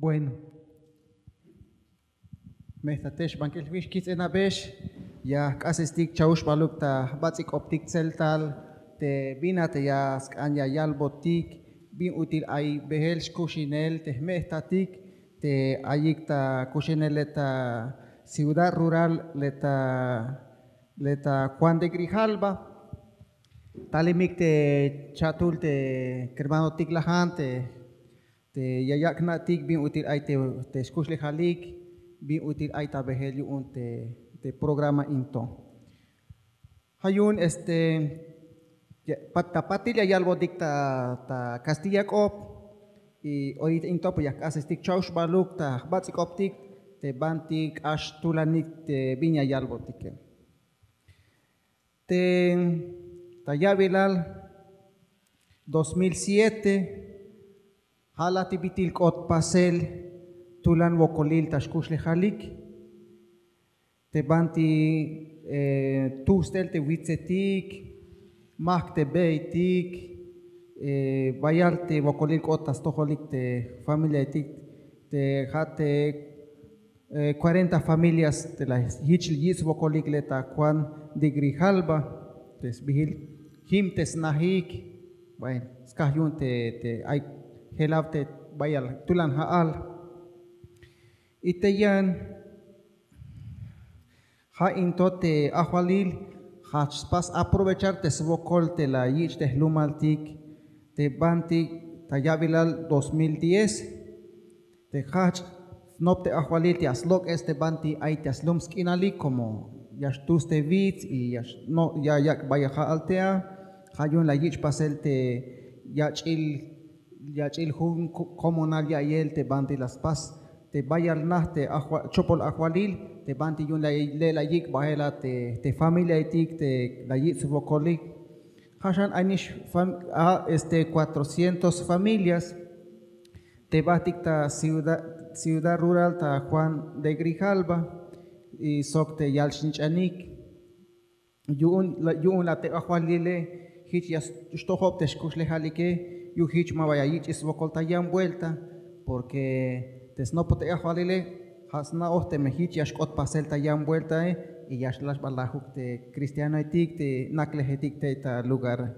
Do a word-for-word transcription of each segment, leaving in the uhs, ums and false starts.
Bueno. Mejtate xbankil jwix, kijts'inabex. Ya jk'asestik chauxbaluk ta jbats'ik'optik tseltal te bin a te ya sk'an ya yalbotik bin ut'il ay beel xkuxinel te jmejtatik te ayik ta kuxinel le ta ciudad rural le ta le ta Juan de Grijalva. Talimik te cha'tul te kermanotik lajan te te ya yak' jna'tik bin ut'il ay te te xkuxlejalik, bin ut'il ay ta beel yu'un te te programa in to. Ja' yu'un este pat ta patil ya yalbotik ta ta kastilla k'op. Y orita in to pues ya jk'asestik chauxbaluk ta jbats'ik'optik te banti k'ax tulanik te bin ya yalbotike. Te ta ya'bilal dos mil siete ja' laj te bit'il k'ot pasel tulan wokolil ta xkuxlejalik. Te banti tujstel te witsetik, majk' te be'etik, bayal te wokolil k'ot ta stojolik te familiaetik te ja' te cuarenta familias te la jich yich'swokolik le ta Juan de Grijalva te sbijil jim te snajik. Bueno, skaj yu'un te te ay jelaw te bayal tulan ja'al. Y te yan ja' in to te ajwalil jajch spas aprovechar te swokol te la yich' te jlumaltik te banti ta ya'bilal dos mil diez te jajch' snop te ajwalil te ya slok'es te banti ay te ya slum sk'inalik como ya xtus te wits y ya yak' bayal ja'al te a. Ja' yu'un la yich' pasel te yach'il yach'il jun komonal ya'iyel te banti la spas te bayal naj te chopol ajwalil te banti yu'un le' la yik' bajel a te familiaetik te la yich' swokolik. Ja' xan ay nix a este cuatrocientos familias te bajtik ta ciudad rural ta Juan de Grijalva y sok te yal snich'anik. Yu'un la te ajwalile jich ya xtojob te xkuxlejalike yu'un jich ma ba ya yich' swokol ta yan vuelta. Porque te snopoj te ajwalile ja' sna'oj teme jich ya xk'ot pasel ta yan vueltae y ya xlaj xbalajuk te cristianoetik te naklejetik tey ta lugare.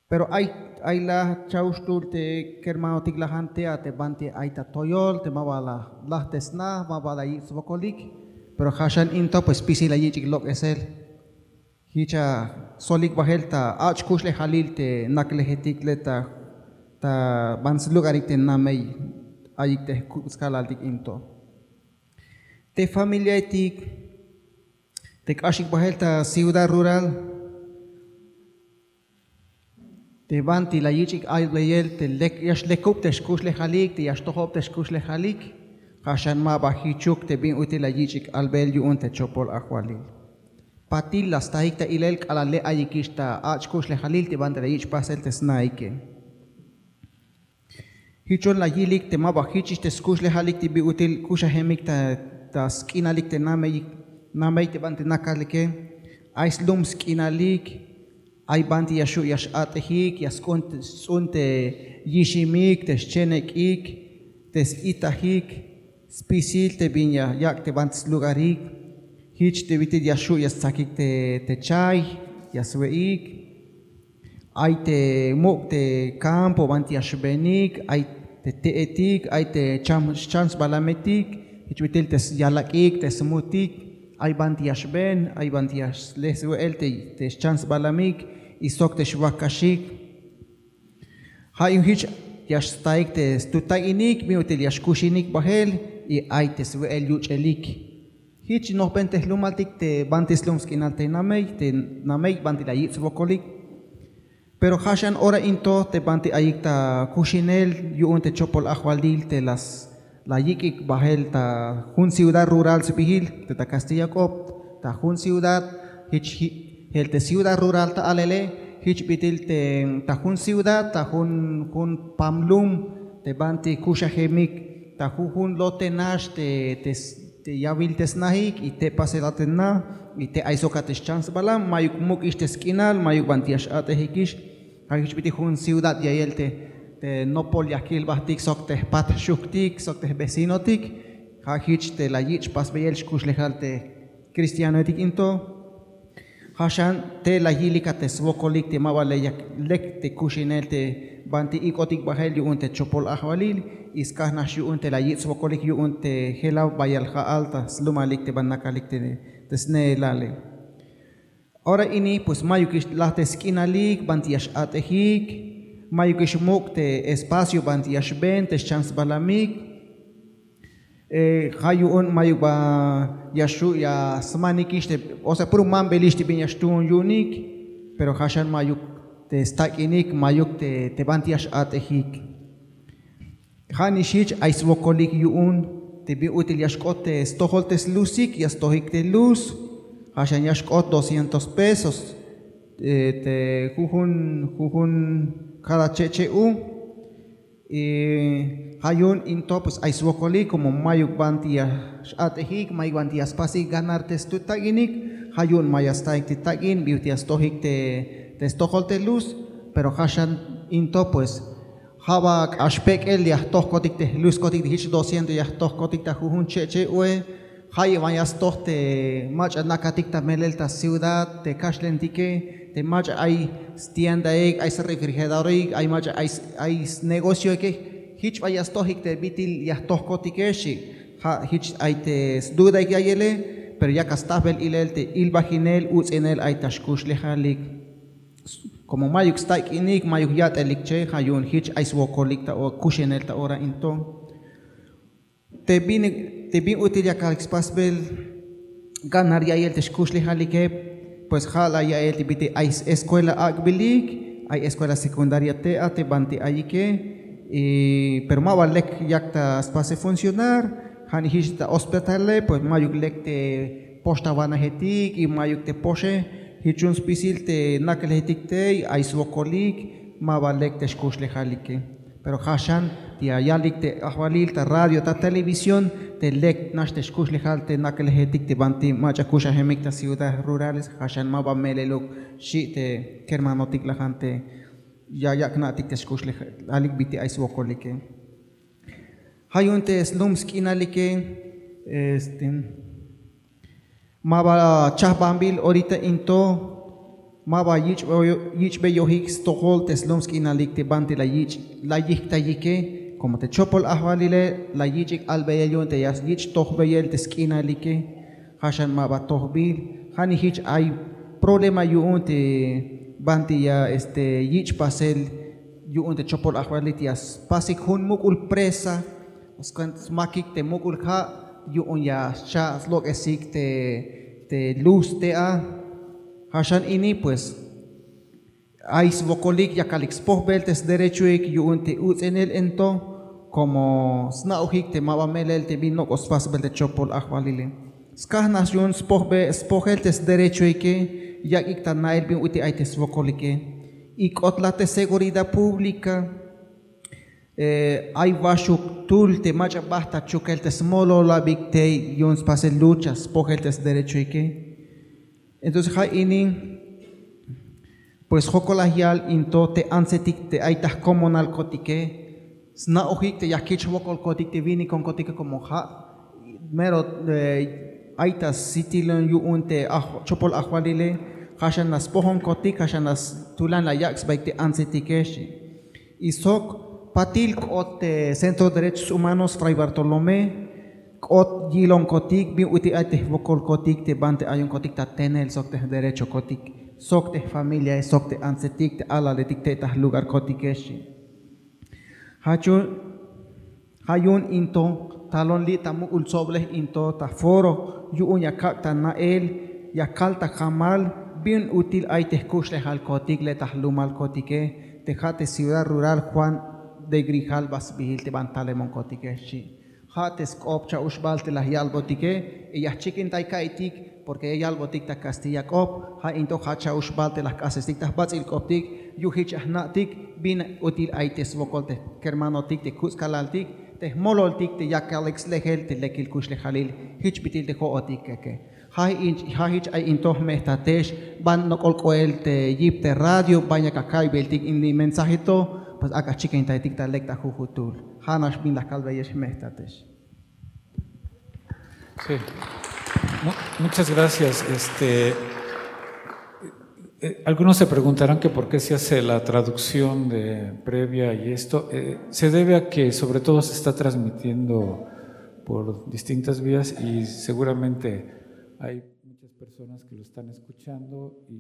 Pero ay ay laj cha'uxtul te kermanotik lajan te a te banti ay ta toyol te ma ba la laj te sna ma ba la yich' swokolik. Pero ja' xan in to pues spisil la yich'ik lok'esel. Jich a solik bajel ta ach' kuxlejalil te naklejetik le ta ta ban slugarik te namey ayik te jkub' skalaltik in to. Te familiaetik te k'axik bajel ta ciudad rural te banti la yich'ik albeyel te lek ya xlekub te xkuxlejalik te ya xtojob te xkuxlejalik. Ja' xan ma ba jichuk te bin ut'il la yich'ik albeyel yu'un te chopol ajwalil. Patil la stajik ta ilel k'alal le' ayikix ta ach' kuxlejalil te banti la yich' pasel te snaike. Jichon la yilik te ma ba jichix te skuxlejalik te bin ut'il kuxajemik ta sk'inalik te namey te banti nakalike. Ay slum sk'inalik. Ay banti ya xu' ya x'at'ejik ya sts'un te yiximik te xchenek'ik te s'itajik spisil te bin ya yak' te banti slugarik. Jich te bit'il ya xu' ya stsakik te chay ya swe'ik. Ay te muk' te kampo banti ya xbenik ay te te'etik ay te xchan sbalametik. Jich bit'il te yalak'ik te smutik ay banti ya xben ay banti ya sle swe'el te xchan sbalamik y sok te xwakaxik. Ja' yu'un jich ya staik te stuta'inik bin ut'il ya xkuxinik bajel y ay te swe'el yuch'elik. Jich nojben te jlumaltik te banti slum sk'inal te namey te namey banti la yich' swokolik. Pero ja' xan ora in to te banti ayik ta kuxinel yu'un te chopol ajwalil te la yik'ik bajel ta jun ciudad rural sbijil te ta kastilla k'op ta jun ciudad. Jich jel te ciudad rural ta alele jich bit'il te ta jun ciudad ta jun jun pam lum te banti kuxajemik ta jujun lote nax te te yawil te snajik y te pasel a te na y te ay sok a te xchan sbalam mayuk muk'ix te sk'inal mayuk banti ya x'at'ejikix. Ja' jich bit'il jun ciudad ya'iyel te te nopol ya jkilbajtik sok te jpat jxujktik sok te jvecinotik. Ja' jich te la yich' pasbeyel xkuxlejal te cristianoetik in to. Ja' xan te la yilik a te swokolik te ma ba le yak lek te kuxinel te banti ik'otik bajel yu'un te chopol ajwalil. Y skaj nax yu'un te la yich' swokolik yu'un te jelaw bayal ja'al ta slumalik te ban nakalik te sneelale. Ora ini pues mayukix laj te sk'inalik banti ya x'at'ejik, mayukix muk' te espacio banti ya xben te xchan sbalamik. Ja' yu'un mayuk ba ya xu' ya smanikix te, o sea puro mambelix te bin ya xtuun yu'unik. Pero ja' xan mayuk te stak'inik, mayuk te banti ya x'at'ejik. Ja' nix jich ay swokolik yu'un te bin ut'il ya xk'ot te stojol te slusik, ya stojik te luz. Ja' xan ya xk'ot doscientos pesos te jujun jujun, kada che'che' u. Ja' yu'un in to pues ay swokolik komo mayuk banti ya x'at'ejik, mayuk banti ya spasik ganar te stut tak'inik. Ja' yu'un ma ya staik te tak'in bin ut'il ya stojik te stojol te luz. Pero ja' xan in to pues ja' ba k'ax pek'el ya jtojkotik te jluskotik te jich doscientos ya jtojkotik ta jujun che'che' ue. Ja' yu'un ma ya stoj te mach'a nakatik ta melel ta ciudad te kaxlantike, te mach'a ay stiendaik, ay srefrigeradorek, ay mach'a ay snegocioike. Jich ba ya stojik te bit'il ya jtojkotike xchi. Ja' jich ay te sdudaik ya'iyele. Pero yak a stajbel ilel te ilbajinel uts'inel ay ta xkuxlejalik. Komo mayuk stak'inik, mayuk yat'elik che, ja' yu'un jich ay swokolik ta kuxinel ta ora in to. Te bin te bin ut'il yakalik spasbel ganar ya'iyel te xkuxlejalike, pues ja' la ya'iyel te bit'il ay escuela ak'bilik, ay escuela secundaria te a te banti ayike. Pero ma ba lek yak ta spasel funcionar. Ja' nix jich ta hospitale pues mayuk lek te pox ta wanajetik y mayuk te poxe. Jich yu'un spisil te naklejetik tey ay swokolik, ma ba lek te xkuxlejalike. Pero ja' xan ya yalik te ajwalil ta radio ta televisión te lek nax te xkuxlejal te naklejetik te banti mach'a kuxajemik ta ciudad rurales, ja' xan ma ba meleluk xchi te kermanotik lajan te ya yak' na'tik te xkuxlejalik bit'il ay swokolike. Ja' yu'un te slum sk'inalike este ma ba chajbanbil orita in to, ma ba yich'beyojik stojol te slum sk'inalik te banti la yich' la yijktayike. Komo te chopol ajwalile la yich'ik albeyel yu'un te ya yich' tojbeyel te sk'inalike. Ja' xan ma ba tojbil. Ja' nix jich ay problema yu'un te banti ya este yich' pasel yu'un te chopol ajwalil te ya spasik jun muk'ul presa. Skuenta smakik te muk'ul ja' yu'un ya scha' slok'esik te luz te a. Ja' xan ini pues ay swokolik yakalik spojbel te sderechoik yu'un te uts'inel in to, komo sna'ojik te ma ba melel te bin nok'o spasbel te chopol ajwalile. Skaj nax yu'un spojel te sderechoike, yak'ik ta na'el bin ut'il ay te swokolike. Y k'ot la te seguridad pública. Ay waxuk tul te mach'a bajt ta chukel te smololabik tey yu'un spasel lucha spojel te sderechoike. Entonces ja' ini pues jokol la yal in to te antsetik te ay ta jkomonalkotike, sna'ojik te ya jich jwokolkotik te winikonkotike komo ja' mero ay ta sitilon yu'un te chopol ajwalile. Ja' xan la spojonkotik, ja' xan la tulan la yak' sbaik te antsetike xchi. Y sok patil k'ot te Centro de Derechos Humanos Fray Bartolomé, k'ot yilonkotik bin ut'il ay te jwokolkotik te banti ayonkotik ta tenel sok te jderechokotik sok te jfamiliae sok te antsetik te alaletik te ta jlugarkotike xchi. Ja' yu'un in to talon li' ta muk'ul tsoblej in to ta foro yu'un ya kak' ta na'el, ya kal ta jamal bin ut'il ay te jkuxlejalkotik le' ta jlumalkotike te ja' te ciudad rural Juan de Grijalva sbiil te ban talemonkotike xchi. Ja' te sk'op cha'uxbal te la yalbotike y ya jchikintay ka'iytik, porque ya yalbotik ta kastilla k'op. Ja' in to ja' cha'uxbal te la jk'asestik ta jbats'il k'optik yu'un jich ya jna'tik bin ut'il ay te swokol te kermanotik te kuts' kalaltik te jmololtik te yakalik slejel te lekil kuxlejalil. Jich bit'il te jo'otik keke. Ja' jich ay in to jme'jtatex ban nok'ol k'oel te yip te radio ban yak aka'iybiltik ini mensaje to. Pues ak'a chikintaytik ta lek ta jujutul. Ja' nax bin la kalbeyex, jme'jtatex. Sí. Muchas gracias. Este, eh, algunos se preguntarán que por qué se hace la traducción de previa y esto. Eh, se debe a que sobre todo se está transmitiendo por distintas vías y seguramente hay muchas personas que lo están escuchando y